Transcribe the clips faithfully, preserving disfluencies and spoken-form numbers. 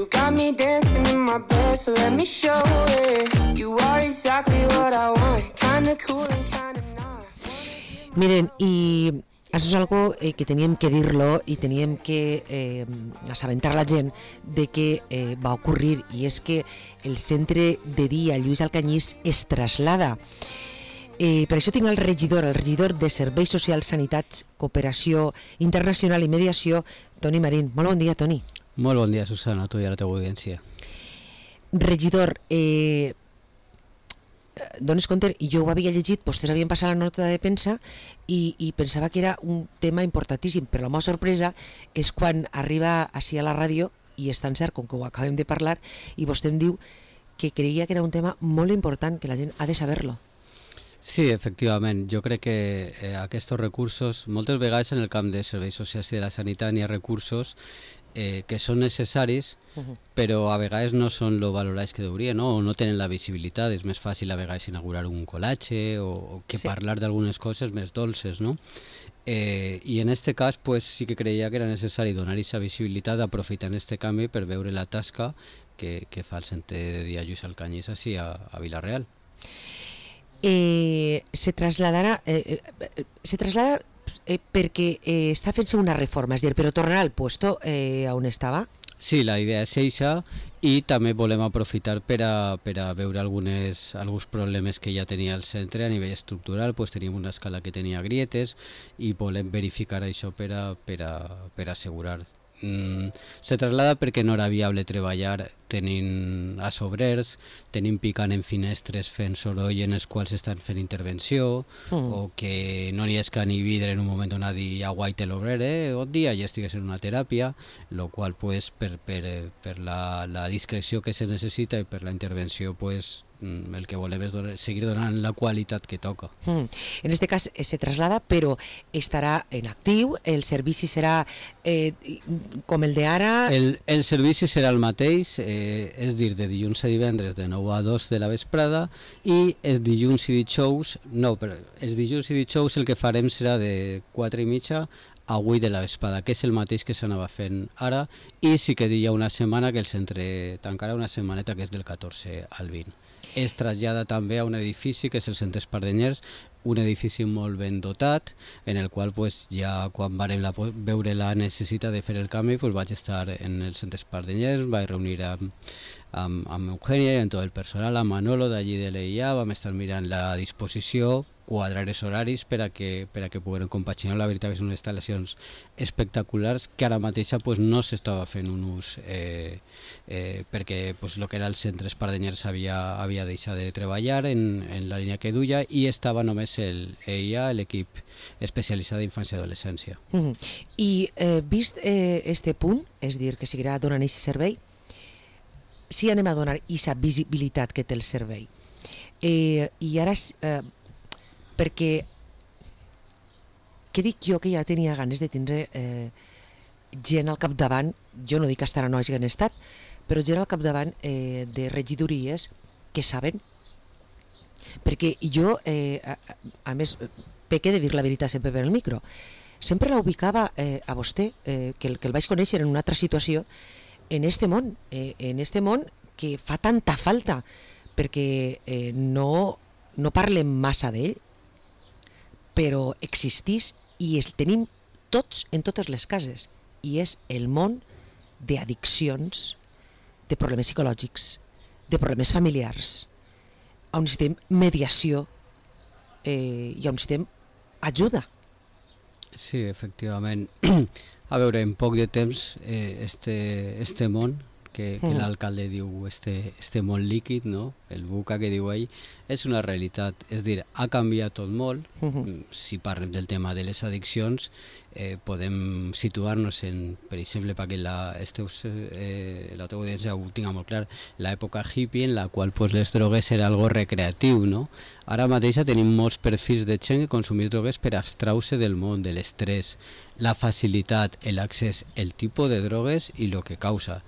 You got me dancing in my bed, so let me show it. You are exactly what I want, kinda cool and kinda not. Miren, y això és algo eh, que teníem que dir-lo i teníem que eh, assabentar la gent de que eh, va ocorrir, i és que el centre de dia Lluís Alcanyís es traslada. Eh, per això tinc el regidor, el regidor de Serveis Socials, Sanitats, Cooperació Internacional i Mediació, Toni Marín. Molt bon dia, Toni. Molt bon dia, Susana, a tu i a la teva audiència. Regidor, eh, dones compte, jo ho havia llegit, vostès havien passat la nota de premsa i, i pensava que era un tema importantíssim, però la meva sorpresa és quan arriba així a la ràdio, i és tan cert com que ho acabem de parlar, i vostè em diu que creia que era un tema molt important, que la gent ha de saber-lo. Sí, efectivament. Jo crec que eh, aquests recursos, moltes vegades en el camp de serveis socials i de la sanitat hi ha recursos eh, que són necessaris, uh-huh. però a vegades no són lo valorats que deurien, no? O no tenen la visibilitat. És més fàcil a vegades inaugurar un col·latge o, o que sí. parlar d'algunes coses més dolces, no? Eh, I en aquest cas pues, sí que creia que era necessari donar aquesta visibilitat, aprofitant aquest canvi per veure la tasca que, que fa el centre de dia Lluís Alcanyís així a, a Vila-real. Eh, se trasladarà eh, eh, se traslada eh, perquè eh, està fent-se una reforma, és dir, però tornarà al puesto eh, on estava? Sí, la idea és eixa, i també volem aprofitar per a, per a veure algunes, alguns problemes que ja tenia el centre a nivell estructural. Pues teníem una escala que tenia grietes i volem verificar això per a, per a, per a assegurar. Mm, se traslada perquè no era viable treballar tenint a sobrers, tenint picant en finestres fent soroll en els quals estan fent intervenció, mm. o que no n'hi esca ni vidre en un moment donat i aguaite l'obrer, eh, bon dia, ja estigués en una teràpia, lo qual pues, per, per, per la, la discreció que se necessita i per la intervenció pues, el que volem és donar, seguir donant la qualitat que toca. Mm. En este cas se traslada, però estarà en actiu, el servici serà eh, com el d'ara? El, el servici serà el mateix, eh, és dir, de dilluns a divendres de nou a dos de la vesprada, i els dilluns i dijous, no, però els dilluns i dijous el que farem serà de quatre i mitja a vuit de la vesprada, que és el mateix que s'anava fent ara, i sí que hi ha una setmana que el centre tancarà una setmaneta que és del catorze al vint. Es trasllada també a un edifici que és el Centre Espardenyers, un edifici molt ben dotat, en el qual pues, ja quan vam la, veure la necessitat de fer el canvi pues, vaig estar en el Centre Espardenyers, vaig reunir amb, amb, amb Eugènia i amb tot el personal, amb Manolo d'allí de l'E I A, vam estar mirant la disposició, quadrar els horaris per a que, per a que pogueren compaginar. La veritat que són instal·lacions espectaculars que ara mateixa pues, no s'estava fent un ús eh, eh, perquè pues, el que era el centre Espardenyers havia, havia deixat de treballar en, en la línia que duia i estava només el E I A, l'equip especialitzat d'infància i adolescència. Mm-hmm. I eh, vist eh, este punt, és dir, que seguirà donant aquest servei, si sí anem a donar aquesta visibilitat que té el servei. Eh, I ara eh, perquè què dic jo que ja tenia ganes de tindre eh, gent al capdavant, jo no dic que estarà no hagin estat, però gent al capdavant eh, de regidories que saben, perquè jo eh, a, a més peque de dir la veritat sempre per el micro, sempre la ubicava eh, a vostè, eh, que, el, que el vaig conèixer en una altra situació en este món, eh, en este món que fa tanta falta, perquè eh, no, no parlem massa d'ell, però existís i el tenim tots en totes les cases, i és el món d'addiccions, de problemes psicològics, de problemes familiars, on necessitem mediació eh, i on necessitem ajuda. Sí, efectivament. A veure, en poc de temps eh, este, este món que, que mm. l'alcalde diu este, este món líquid, no? El buca que diu ell, és una realitat. És dir, ha canviat tot molt. Mm-hmm. Si parlem del tema de les addiccions, eh, podem situar-nos en, per exemple, perquè la, esteus, eh, la teva audiència ho tinga molt clar, l'època hippie en la qual pues, les drogues era algo recreatiu, no? Ara mateix tenim molts perfils de gent que consumir drogues per abstraure del món, de l'estrès, la facilitat, l'accés, el tipus de drogues i el que causa.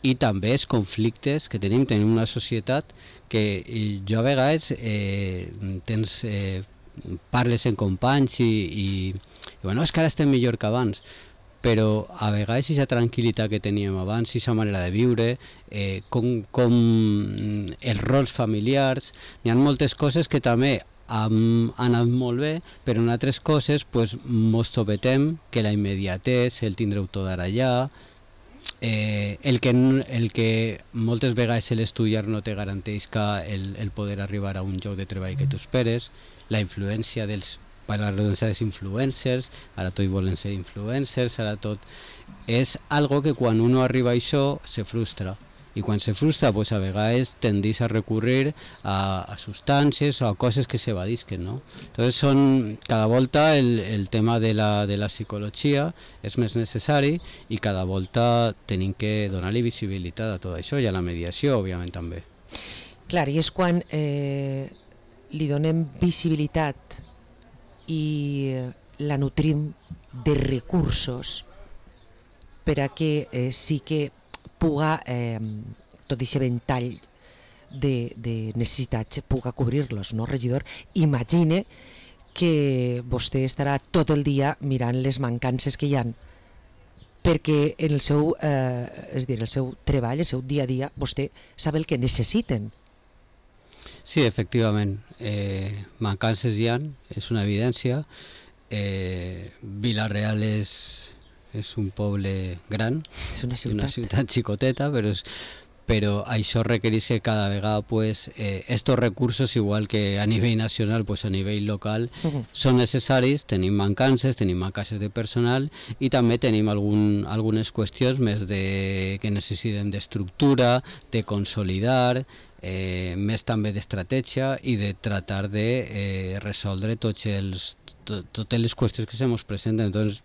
I també els conflictes que tenim, tenim una societat que jo a vegades eh, tens, eh, parles en companys i, i, i bueno, és que ara estem millor que abans, però a vegades aquesta tranquil·litat que teníem abans, aquesta manera de viure, eh, com, com els rols familiars, n'hi ha moltes coses que també han anat molt bé, però en altres coses pues, mos topetem que la immediatesa, el tindre-ho tot ara allà, eh, el, que, el que moltes vegades l'estudiar no te garanteix que el, el poder arribar a un lloc de treball que tu esperes, la influència dels per la redundància dels influencers, ara tots volen ser influencers, ara tot... És algo que quan uno arriba a això se frustra. I quan se frustra, pues a vegades tendís a recurrir a, a substàncies o a coses que s'evadisquen, no? Entonces són, cada volta el, el tema de la, de la psicologia és més necessari i cada volta tenim que donar-li visibilitat a tot això i a la mediació, òbviament, també. Clar, i és quan eh, li donem visibilitat i la nutrim de recursos per a que eh, sí que puga eh, tot aquest ventall de, de necessitats puga cobrir-los, no, regidor? Imagine que vostè estarà tot el dia mirant les mancances que hi ha perquè en el seu, eh, és dir, el seu treball, el seu dia a dia, vostè sap el que necessiten. Sí, efectivament, eh, mancances hi ha, és una evidència. Eh, Vila-real és, és un poble gran, és una ciutat, una ciutat xicoteta, però, és, però això requereix que cada vegada pues, eh, estos recursos, igual que a nivell nacional, pues, a nivell local, uh-huh. són necessaris. Tenim mancances, tenim mancances de personal i també tenim algun, algunes qüestions més de, que necessiten d'estructura, de consolidar, Eh, més també d'estratègia i de tratar de eh, resoldre tots els, to, totes les qüestions que se ens presenten. Doncs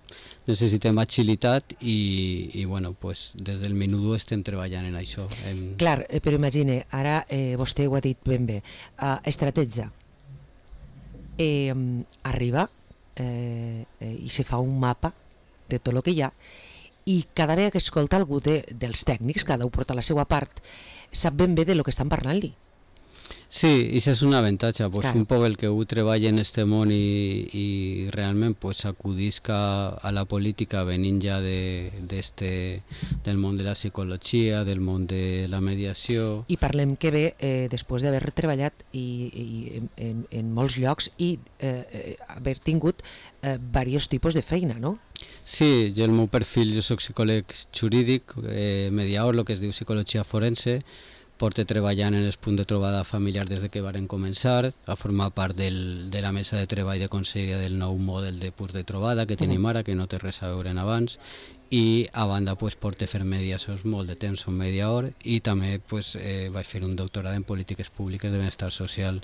necessitem agilitat i, i bueno, pues, des del minut u estem treballant en això. En... Clar, eh, però imagine, ara eh, vostè ho ha dit ben bé, uh, estratègia. Eh, arriba eh, eh, i se fa un mapa de tot el que hi ha i cada vegada que escolta algú de, dels tècnics, cada un porta la seva part, sap ben bé de lo que estan parlant-li. Sí, i això és un avantatge, pues, claro. Un poc el que ho treballa en este món i, i realment pues, acudisca a la política venint ja de, de este, del món de la psicologia, del món de la mediació. I parlem que bé, eh, després d'haver treballat i, i, en, en molts llocs i eh, haver tingut eh, diversos tipus de feina, no? Sí, jo el meu perfil, jo soc psicòleg jurídic, eh, mediador, el que es diu psicologia forense, porto treballant en els punts de trobada familiar des de que varen començar, a formar part del, de la mesa de treball de conselleria del nou model de punts de trobada que tenim ara, que no té res a veure en abans, i a banda pues, porto fer mediacions molt de temps, som mediador, i també pues, eh, vaig fer un doctorat en polítiques públiques de benestar social.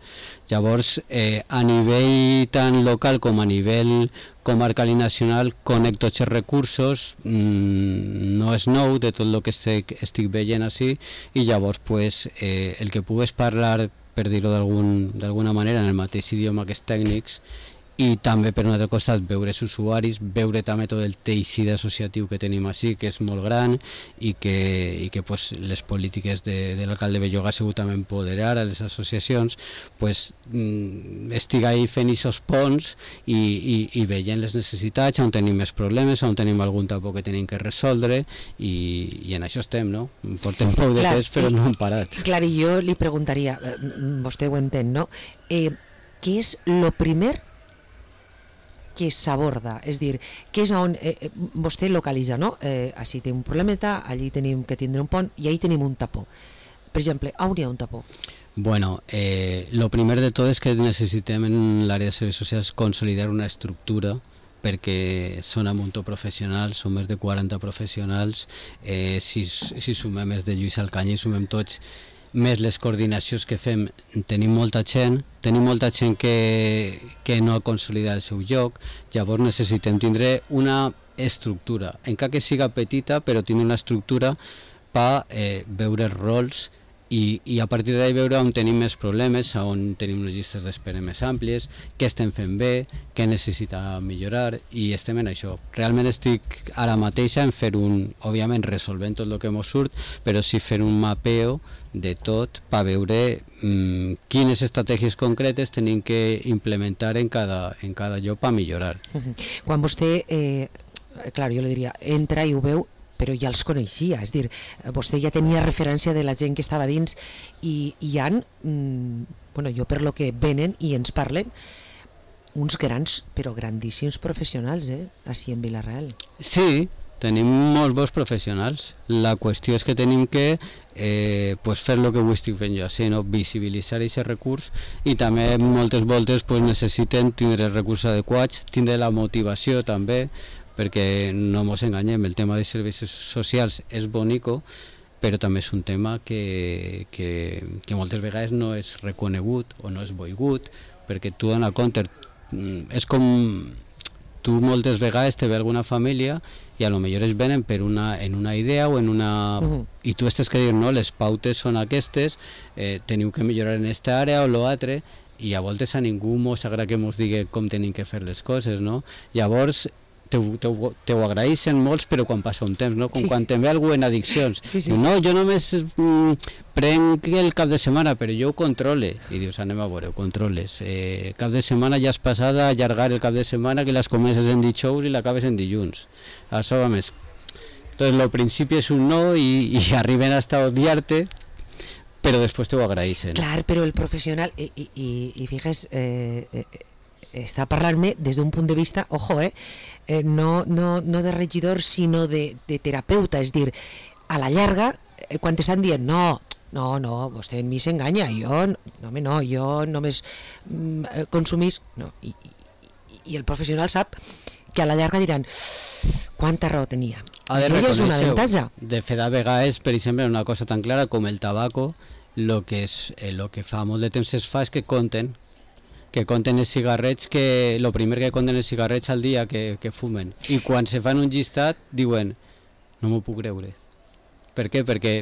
Llavors, eh, a nivell tant local com a nivell comarcal i nacional, conec tots els recursos, mmm, no és nou de tot el que estic, estic veient així, i llavors pues, eh, el que pugues parlar, per dir-ho d'alguna manera, en el mateix idioma que els tècnics, i també per un altre costat veure els usuaris, veure també tot el teixit associatiu que tenim així, que és molt gran i que, i que pues, les polítiques de, de l'alcalde Belloga ha sigut també empoderar a les associacions, pues, mm, estic ahí fent aquests ponts i, i, i veient les necessitats, on tenim més problemes, on tenim algun tapó que tenim que resoldre i, i en això estem, no? Portem poc de temps però no hem parat. Clar, i jo li preguntaria, vostè ho entén, no? Eh, què és lo primer que s'aborda, és dir, que és on eh, vostè localitza, no? Eh, així té un problemeta, allí tenim que tindre un pont i allí tenim un tapó. Per exemple, on hi ha un tapó? Bueno, eh, lo primer de tot és que necessitem en l'àrea de serveis socials consolidar una estructura perquè són un munt professionals, són més de quaranta professionals, eh, si, si sumem més de Lluís Alcanya i sumem tots més les coordinacions que fem, tenim molta gent, tenim molta gent que, que no ha consolidat el seu lloc, llavors necessitem tindre una estructura, encara que siga petita, però tindre una estructura per eh, veure els rols i, i a partir d'ahí veure on tenim més problemes, on tenim unes llistes d'espera més àmplies, què estem fent bé, què necessita millorar i estem en això. Realment estic ara mateix en fer un, òbviament resolvent tot el que mos surt, però sí fer un mapeo de tot per veure mmm, quines estratègies concretes tenim que implementar en cada, en cada lloc per millorar. Quan vostè eh, clar, jo li diria, entra i ho veu, però ja els coneixia, és dir, vostè ja tenia referència de la gent que estava dins i hi ha, mm, bueno, jo per lo que venen i ens parlen, uns grans, però grandíssims professionals, eh, així en Vila-real. Sí, tenim molts bons professionals. La qüestió és que tenim que eh, pues fer el que avui estic fent jo, així, no? Visibilitzar aquest recurs, i també moltes voltes pues, necessiten tindre els recursos adequats, tindre la motivació també, perquè no ens enganyem, el tema de serveis socials és bonico, però també és un tema que, que, que moltes vegades no és reconegut o no és volgut, perquè tu dona compte, és com tu moltes vegades te ve alguna família i a lo millor es venen per una, en una idea o en una... Uh-huh. I tu estàs que dir, no, les pautes són aquestes, eh, teniu que millorar en esta àrea o l'altre, i a voltes a ningú mos agrada que mos digui com tenim que fer les coses, no? Llavors, te ho, te ho agraeixen molts, però quan passa un temps, no? Com sí. Quan te'n ve algú en addiccions. Sí, sí, no, sí. Jo només mm, prenc el cap de setmana, però jo ho controle. I dius, anem a veure, ho controles. Eh, cap de setmana ja has passat a allargar el cap de setmana, que les comences en dijous i l'acabes en dilluns. Això va més. Entonces, al principi és un no i, i arriben hasta odiar-te, però després t'ho agraeixen. Clar, però el professional, i, i, i, i fixes, eh, eh, està parlant-me des d'un punt de vista, ojo, eh, eh no, no, no de regidor, sinó de, de terapeuta, és dir, a la llarga, eh, quan t'estan dient, no, no, no, vostè en mi s'enganya, jo, no, home, no, jo només mm, consumís, no, i, i, i el professional sap que a la llarga diran, quanta raó tenia. A veure, és un avantatge. De fet, a vegades, per exemple, una cosa tan clara com el tabaco, lo que, és, eh, lo que fa molt de temps es fa és que compten, que compten els cigarrets, que el primer que compten els cigarrets al dia que, que fumen, i quan se fan un llistat diuen, no m'ho puc creure. Per què? Perquè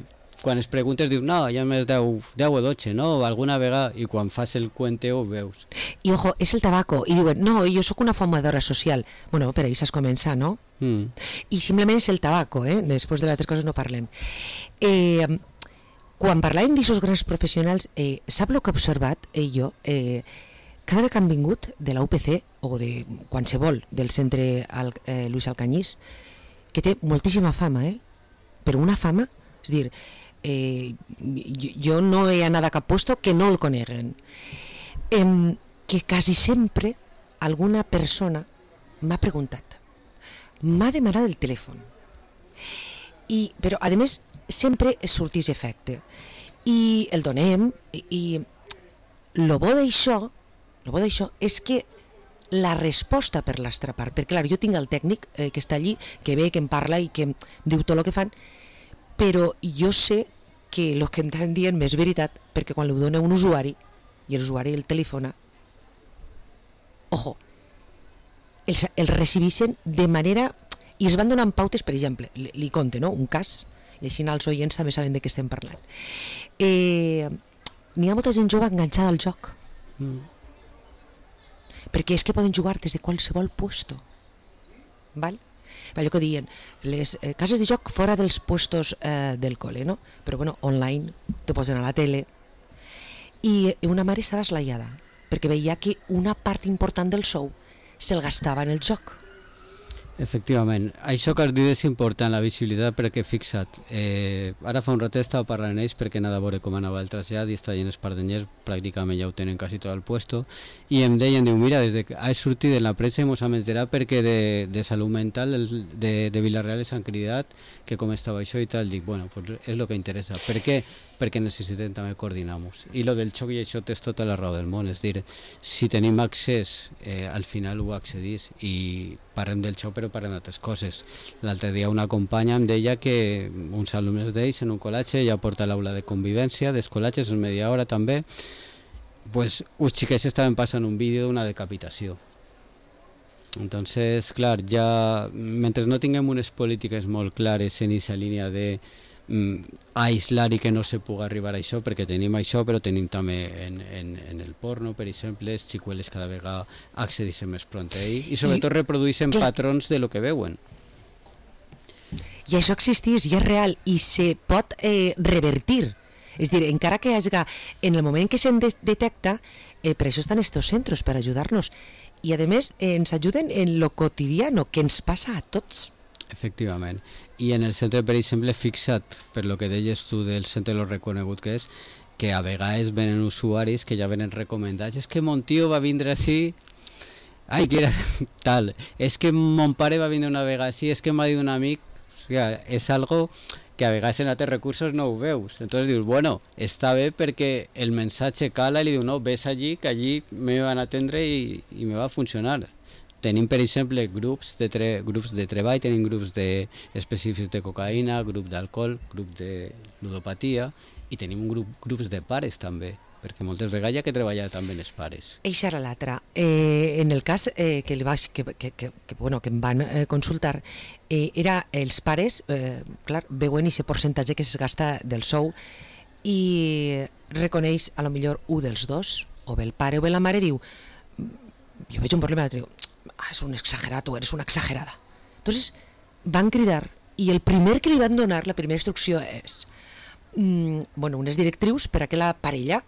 quan es preguntes dius, no, ja més deu, deu o dotze, no? Alguna vegada, i quan fas el cuenteo ho veus. I ojo, és el tabaco, i diuen, no, jo sóc una fumadora social. Bueno, per ells has començat, no? Mm. I simplement és el tabaco, eh? Després de les altres coses no parlem. Eh, quan parlàvem d'aixòs grans professionals, eh, sap el que he observat, eh, jo, eh, cada vegada que han vingut de la U P C o de qualsevol del centre Al, eh, Luis Alcañís, que té moltíssima fama, eh? Però una fama, és dir, eh, jo, jo no he anat a cap puesto que no el coneguen. Eh, que quasi sempre alguna persona m'ha preguntat, m'ha demanat el telèfon, I, però a més sempre sortís efecte, i el donem, i, i lo bo d'això El bo d'això és que la resposta per l'altra part, perquè clar, jo tinc el tècnic eh, que està allí, que ve, que em parla i que em diu tot el que fan, però jo sé que el que em estan dient és veritat, perquè quan li dona un usuari i l'usuari el telefona, ojo, els, els recibeixen de manera, i es van donant pautes, per exemple, li, li conte, no?, un cas, i així els oients també saben de què estem parlant. Eh, n'hi ha molta gent jove enganxada al joc. Mm. Perquè és que poden jugar des de qualsevol puesto, val? Allò que diuen, les eh, cases de joc fora dels puestos eh, del col·le, no? Però bueno, online, te posen a la tele, i una mare estava eslaiada, perquè veia que una part important del sou se'l gastava en el joc. Efectivament, això que has dit és important, la visibilitat, perquè fixa't, eh, ara fa un ratet estava parlant amb ells perquè anava a veure com anava el trasllat i estaven els pardenyers, pràcticament ja ho tenen quasi tot el puesto, i em deien, diu, mira, des que has sortit en la premsa i mos hem enterat perquè de, de salut mental de, de Vila-real s'han cridat que com estava això i tal, dic, bueno, pues és el que interessa. Per què? Perquè necessitem també coordinar-nos. I lo del xoc i això tens tota la raó del món, és dir, si tenim accés, eh, al final ho accedís, i parlem del xoc però parlem d'altres coses. L'altre dia una companya em deia que uns alumnes d'ells en un col·latge ja porta l'aula de convivència, dels col·latges en media hora també, pues uns xiquets estaven passant un vídeo d'una decapitació. Entonces, clar, ja mentre no tinguem unes polítiques molt clares en aquesta línia de a aislar i que no se pugui arribar a això, perquè tenim això, però tenim també en, en, en el porno, per exemple, els xicueles cada vegada accedeixen més pront a ell i sobretot I, reprodueixen clar, patrons de lo que veuen. I això existeix i és real i se pot eh, revertir. És dir, encara que hi hagi, en el moment que se'n de- detecta, eh, per això estan estos centros, per ajudar-nos. i a més ens ajuden en lo quotidiano que ens passa a tots. Efectivament. I en el centre, per exemple, fixa't per lo que deies tu del centre lo reconegut que és, que a vegades venen usuaris que ja venen recomendats. És que mon tio va vindre així, ai, que era tal. És que mon pare va vindre una vegada així, és que m'ha dit un amic. O sigui, és algo que a vegades en altres recursos no ho veus. Entonces dius, bueno, està bé perquè el mensatge cala i li diu, no, ves allí, que allí me van a atendre i, i me va a funcionar. Tenim, per exemple, grups de, tre grups de treball, tenim grups de específics de cocaïna, grup d'alcohol, grup de ludopatia, i tenim un grup, grups de pares també, perquè moltes vegades hi ha que treballar també els pares. Eixa era l'altra. Eh, en el cas eh, que, li vaig, que, que, que, que, bueno, que em van eh, consultar, eh, era els pares, eh, clar, veuen aquest percentatge que es gasta del sou i reconeix a lo millor un dels dos, o bé el pare o bé la mare, diu, jo veig un problema, l'altre diu, ah, és un exagerat o eres una exagerada. Entonces van cridar i el primer que li van donar, la primera instrucció és mm, bueno, unes directrius per a que la parella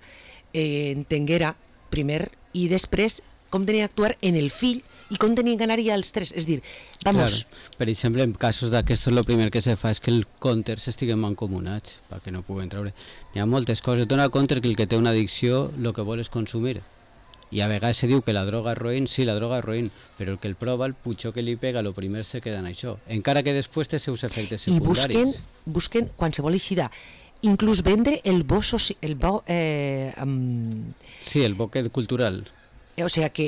eh, entenguera primer i després com tenia d'actuar en el fill i com tenien que anar-hi als tres. És dir, vamos... Claro. Per exemple, en casos d'aquestos, el primer que se fa és que el compter s'estiguen mancomunats perquè no puguen treure. Hi ha moltes coses. Dona compte que el que té una addicció el que vol és consumir. I a vegades se diu que la droga és roïn, sí, la droga és roïn, però el que el prova, el putxó que li pega, el primer se queda en això. Encara que després té seus efectes secundaris. I busquen, busquen qualsevol eixida. Inclús vendre el bo, soci, el bo eh, um... sí, el bo cultural. Eh, o sigui que...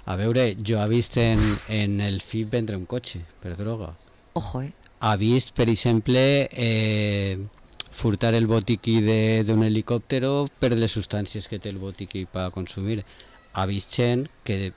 A veure, jo he vist en, en el F I P vendre un cotxe per droga. Ojo, eh? Ha vist, per exemple, eh, furtar el botiquí d'un helicòptero per les substàncies que té el botiquí per consumir. Ha vist gent que,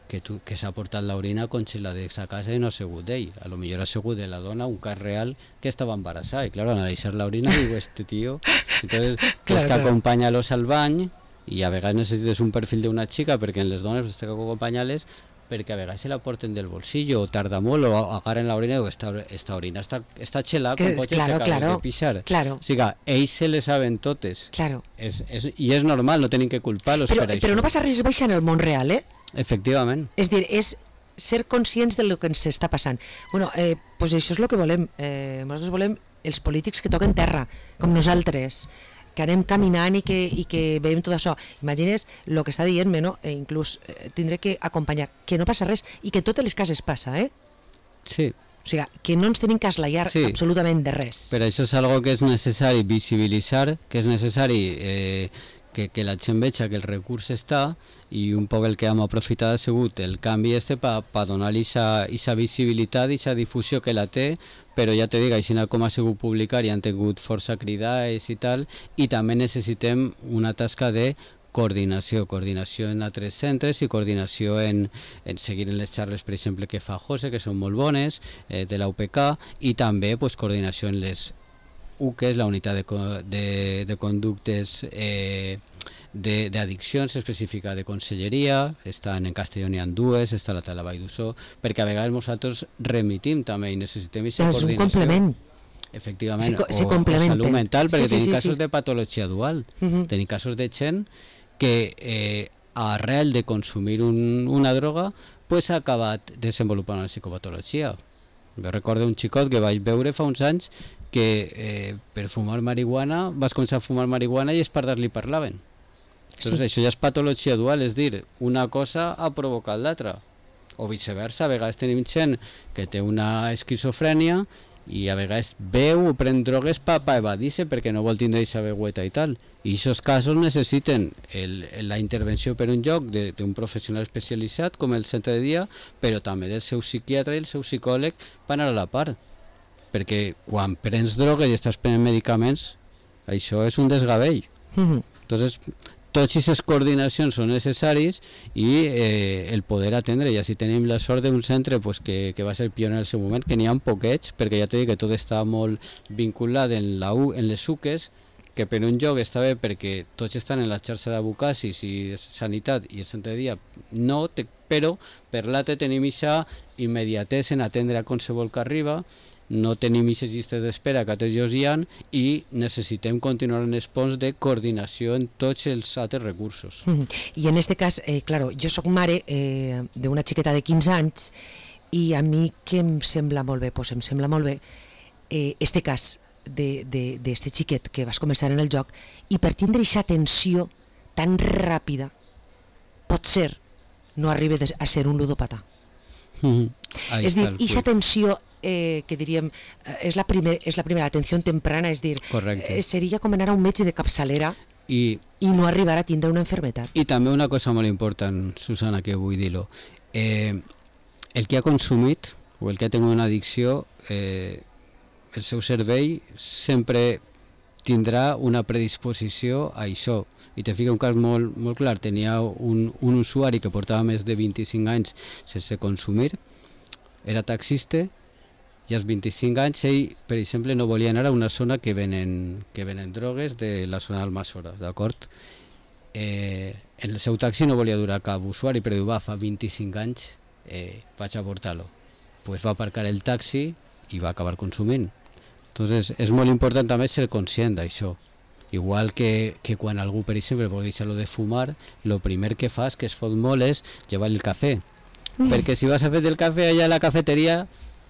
que, tu, que s'ha portat l'orina congelada a casa i no ha sigut d'ell. A lo millor ha sigut de la dona un cas real que estava embarassada. I claro, al analitzar l'orina diu, este tío... Entonces, claro, pues que claro. Acompanya-los al bany, i a vegades necessites un perfil d'una xica perquè en les dones has d'acompanyar-les perquè a vegades se la porten del bolsillo o tarda molt o agarren l'orina i diu, esta, esta orina està, està xelada com pots claro, se claro, de pixar. Claro. O sigui, ells se les saben totes. Claro. És, és, I és normal, no tenim que culpar-los per això. Però no passa res baixar en el món real, eh? Efectivament. És dir, és ser conscients del que ens està passant. Bueno, eh, pues això és el que volem. Eh, nosaltres volem els polítics que toquen terra, com nosaltres, que anem caminant i que, i que veiem tot això. Imagines el que està dient-me, no? E inclús eh, tindré que acompanyar, que no passa res, i que en totes les cases passa, eh? Sí. O sigui, que no ens tenim que esglaiar sí. absolutament de res. Per això és algo que és necessari visibilitzar, que és necessari eh, que, que la gent veja que el recurs està, i un poc el que hem aprofitat ha sigut el canvi este per pa donar-li aquesta visibilitat i aquesta difusió que la té, però ja te dic, així com ha sigut publicar i han tingut força cridades i tal, i també necessitem una tasca de coordinació, coordinació en altres centres i coordinació en, en seguir en les xarles, per exemple, que fa José, que són molt bones, eh, de la U P K, i també pues, coordinació en les U C, que és la unitat de, de, de conductes eh, d'addiccions específica de conselleria, estan en Castelló n'hi ha dues, està a la Tala Vall d'Ussó, perquè a vegades nosaltres remitim també i necessitem aquesta coordinació. És un complement. Efectivament, se, se o, o salut mental, perquè sí, sí, tenim sí, casos sí. de patologia dual, uh -huh. tenim casos de gent que eh, arrel de consumir un, una droga pues, ha acabat desenvolupant una psicopatologia. Jo recordo un xicot que vaig veure fa uns anys que eh, per fumar marihuana vas començar a fumar marihuana i els pares li parlaven. Entonces, sí. Això ja és patologia dual, és dir, una cosa ha provocat l'altra. O viceversa, a vegades tenim gent que té una esquizofrènia i a vegades veu o pren drogues per pa evadir-se perquè no vol tindre aquesta veueta i tal. I aquests casos necessiten el, la intervenció per un lloc d'un professional especialitzat com el centre de dia, però també del seu psiquiatre i el seu psicòleg per anar a la part. Perquè quan prens drogues i estàs prenent medicaments, això és un desgavell. Mm-hmm. Entonces, totes aquestes coordinacions són necessaris i eh, el poder atendre, i així tenim la sort d'un centre pues, que, que va ser pioner en el seu moment, que n'hi ha poquets, perquè ja t'he dit que tot està molt vinculat en, la U, en les U C Es, que per un lloc està bé perquè tots estan en la xarxa d'abucacis i de sanitat i el centre de dia no, te, però per l'altre tenim aquesta immediatesa en atendre a qualsevol que arriba no tenim aquestes llistes d'espera que altres llocs hi ha i necessitem continuar en els ponts de coordinació en tots els altres recursos. Mm-hmm. I en aquest cas, eh, claro, jo sóc mare eh, d'una xiqueta de quinze anys i a mi què em sembla molt bé? Pues em sembla molt bé eh, este cas d'este xiquet que vas començar en el joc i per tindre aquesta tensió tan ràpida pot ser no arriba a ser un ludòpata. Mm-hmm. És dir, aquesta tensió eh, que diríem eh, és, la primer, és la primera atenció temprana, és dir, eh, seria com anar a un metge de capçalera I, i no arribar a tindre una enfermetat. I també una cosa molt important, Susana, que vull dir-ho. Eh, el que ha consumit o el que ha tingut una addicció, eh, el seu cervell sempre tindrà una predisposició a això. I te fica un cas molt, molt clar, tenia un, un usuari que portava més de vint-i-cinc anys sense consumir, era taxista, i als vint-i-cinc anys ell, per exemple, no volia anar a una zona que venen, que venen drogues de la zona d'Almassora, d'acord? Eh, en el seu taxi no volia durar cap usuari, però diu, va, fa vint-i-cinc anys eh, vaig a portar-lo. Pues va aparcar el taxi i va acabar consumint. Entonces, és molt important també ser conscient d'això. Igual que, que quan algú, per exemple, vol deixar-lo de fumar, el primer que fas, que es fot molt, és llevar el cafè. Mm. Perquè si vas a fer el cafè allà a la cafeteria,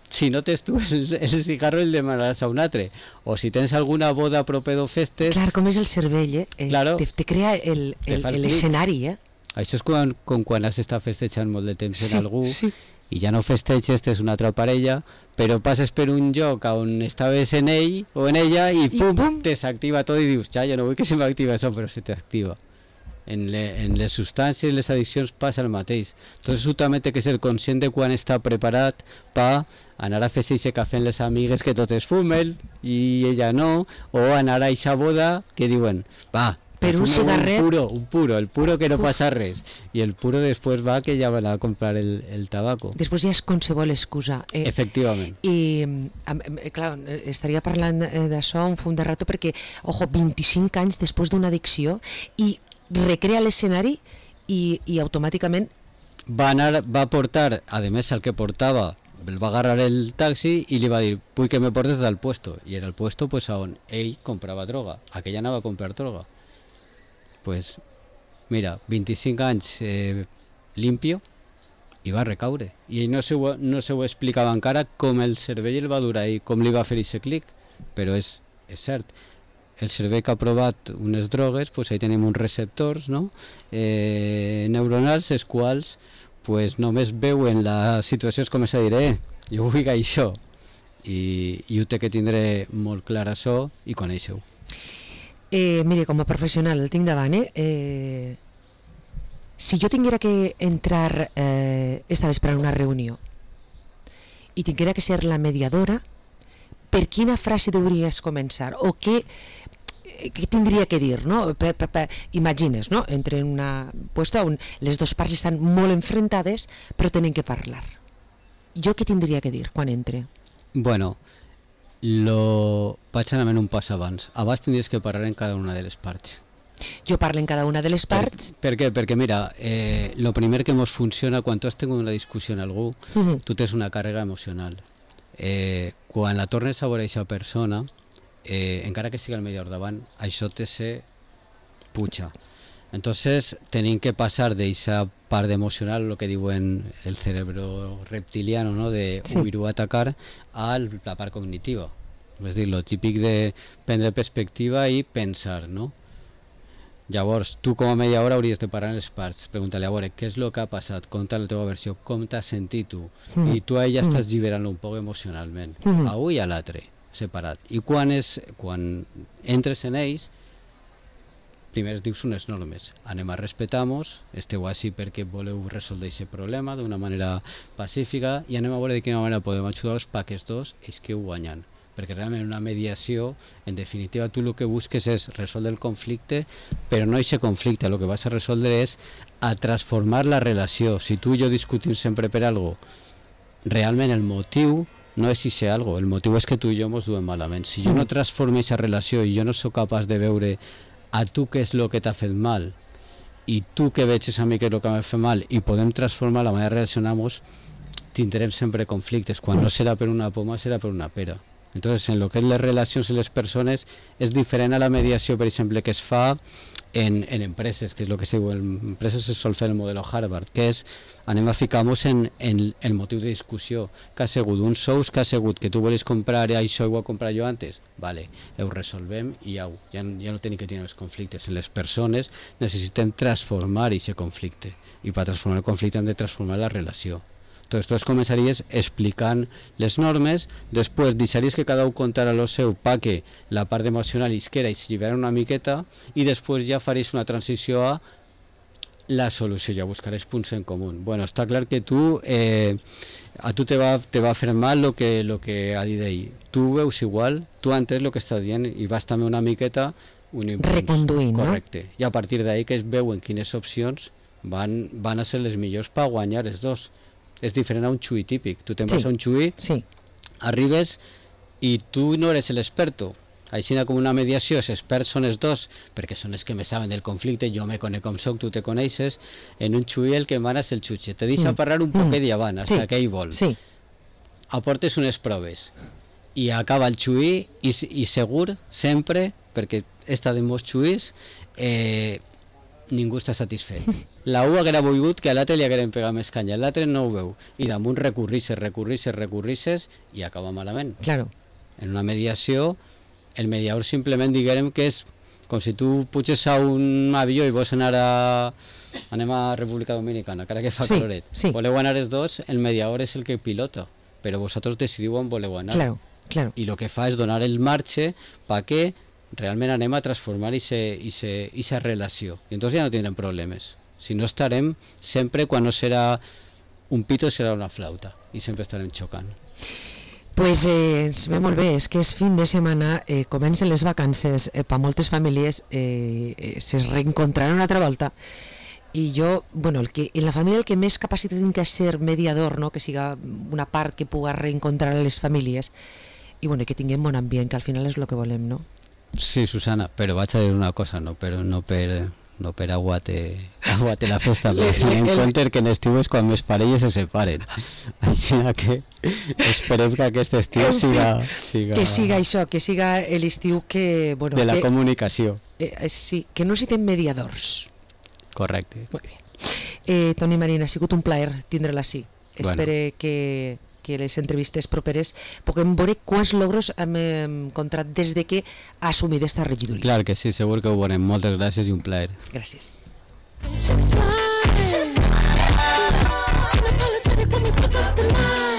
si no tens tu el, el cigarro el demanaràs a un altre. O si tens alguna boda proper o festes... Clar, com és el cervell, eh? eh claro, te, te crea l'escenari, eh? Això és com, com quan has estat festejant molt de temps sí, en algú sí. i ja no festeges, tens una altra parella, però passes per un lloc on estaves en ell o en ella i, I pum, pum, te s'activa tot i dius, ja, jo no vull que se m'activa això, però se t'activa. En, le, en les substàncies i les addiccions passa el mateix. Entonces tu també té que ser conscient de quan està preparat per anar a fer-se aquest cafè amb les amigues que totes fumen i ella no, o anar a aquesta boda que diuen, va, per un cigarret, un puro, un puro, el puro que no Uf. passa res, i el puro després va que ja van a comprar el, el tabaco. Després ja és qualsevol excusa. Eh, Efectivament. I, eh, clar, estaria parlant d'això un fum de rato perquè, ojo, vint-i-cinc anys després d'una addicció i recrea l'escenari i, i automàticament va anar, va portar, a més el que portava el va agarrar el taxi i li va dir, vull que me portes del puesto, i era el puesto pues, on ell comprava droga, aquella anava a comprar droga. Pues mira, vint-i-cinc anys eh, limpio i va recaure, i ell no se, ho, no se ho explicava encara com el cervell el va durar i com li va fer aquest clic, però és, és cert. El cervell que ha provat unes drogues, pues ahí tenim uns receptors, no? eh, neuronals, els quals pues, només veuen la situació, és com a dir, eh, jo vull això, i, i ho té que tindre molt clar això i conèixer-ho. Eh, mire, com a professional el tinc davant, eh? eh si jo tinguera que entrar eh, esta vespre en una reunió i tinguera que ser la mediadora, per quina frase deuries començar o què, què tindria que dir, no? Per, per, per, imagines, no? Entre una puesto on les dues parts estan molt enfrontades però tenen que parlar. Jo què tindria que dir quan entre? Bueno, lo... vaig anar un pas abans. Abans tindries que parlar en cada una de les parts. Jo parlo en cada una de les parts. Per, per què? Perquè mira, eh, lo primer que ens funciona quan tu has tingut una discussió amb algú, uh-huh. tu tens una càrrega emocional. Eh, quan la tornes a veure aquesta persona, eh, encara que sigui el millor davant, això te se puja. Entonces tenim que passar d'aquesta part emocional, lo que diuen el cerebro reptiliano, no? De sí. huir o atacar, a la part cognitiva. És dir, lo típic de prendre perspectiva i pensar, no? Llavors, tu com a mediadora hauries de parar en les parts, preguntar-li a veure què és el que ha passat, conta la teva versió, com t'has sentit tu, mm. i tu a ella mm. estàs lliberant un poc emocionalment, mm. a un i a l'altre, separat. I quan, és, quan entres en ells, primer dius unes normes, anem a respetar-nos, esteu així perquè voleu resoldre aquest problema d'una manera pacífica i anem a veure de quina manera podem ajudar-vos perquè els dos és que ho guanyen. Perquè realment una mediació, en definitiva tu el que busques és resoldre el conflicte, però no aquest conflicte, el que vas a resoldre és a transformar la relació. Si tu i jo discutim sempre per alguna cosa, realment el motiu no és si algo, el motiu és que tu i jo ens duem malament. Si jo no transformo aquesta relació i jo no sóc capaç de veure a tu què és el que t'ha fet mal i tu que veig a mi què és el que m'ha fet mal i podem transformar la manera de relacionar-nos, tindrem sempre conflictes. Quan no serà per una poma, serà per una pera. Entonces, en lo que és les relacions i les persones, és diferent a la mediació, per exemple, que es fa en, en empreses, que és el que se diu, en empreses se sol fer el model Harvard, que és, anem a ficar-nos en, en el motiu de discussió, que ha sigut un sous, que ha sigut que tu volies comprar i això ho he comprat jo antes, vale, ho resolvem i ja, ja, ja no tenim que tenir els conflictes. En les persones necessitem transformar aquest conflicte, i per transformar el conflicte hem de transformar la relació. Entonces, tu començaries explicant les normes, després deixaries que cada un contara lo seu perquè la part emocional isquera i s'allibera una miqueta, i després ja faries una transició a la solució, ja buscaràs punts en comú. Bueno, està clar que tu, eh, a tu te va, te va fer mal lo que, lo que ha dit ell. Tu veus igual, tu entens el que està dient i vas també una miqueta un impuls. Reconduint, correcte. No? I a partir d'ahí que es veuen quines opcions van, van a ser les millors per guanyar els dos. És diferent a un xui típic. Tu te'n vas sí, a un xui, sí. arribes i tu no eres l'experto. Així com una mediació, els experts són els dos, perquè són els que me saben del conflicte, jo me conec com soc, tu te coneixes. En un xui el que mana és el xutxe. Te deixa mm. parlar un mm. poquet d'avant, fins sí. que ell vol. Sí. Aportes unes proves i acaba el xui i, i segur, sempre, perquè esta de molts xuis, eh, ningú està satisfet. La U haguera volgut que a l'altre li hagueren pegat més canya, l'altre no ho veu, i damunt recurrisses, recurrisses, recurrisses, i acaba malament. Claro. En una mediació, el mediador simplement diguem que és com si tu puges a un avió i vols anar a... anem a República Dominicana, cara que fa sí, caloret. Sí. Voleu anar els dos, el mediador és el que pilota, però vosaltres decidiu on voleu anar. Claro, claro. I el que fa és donar el marge perquè realment anem a transformar aquesta relació. I entonces ja no tindrem problemes. Si no estarem sempre, quan no serà un pito, serà una flauta. I sempre estarem xocant. Pues eh, ens ve molt bé, és que és fin de setmana, eh, comencen les vacances, eh, per moltes famílies eh, eh, se reencontraran una altra volta. I jo, bueno, el que, en la família el que més capacitat tinc que ser mediador, no? Que siga una part que puga reencontrar les famílies, i bueno, que tinguem bon ambient, que al final és el que volem, no? Sí, Susana, però vaig a dir una cosa, no per, no per, no per aguate, aguate la festa, però tenint en compte que en estiu és quan més parelles se separen. Així que esperem que aquest estiu siga, siga... Que siga això, que siga l'estiu que... Bueno, de la que, comunicació. Eh, sí, que no siguin mediadors. Correcte. Molt bé. Eh, Toni Marín, ha sigut un plaer tindre-la així. Bueno. Espero que... que les entrevistes properes puguem veure quants logros hem encontrat des de que ha assumit aquesta regidoria. Clar que sí, segur que ho veurem. Moltes gràcies i un plaer. Gràcies. She's mine. She's mine. Unapologetic when we pick up the line.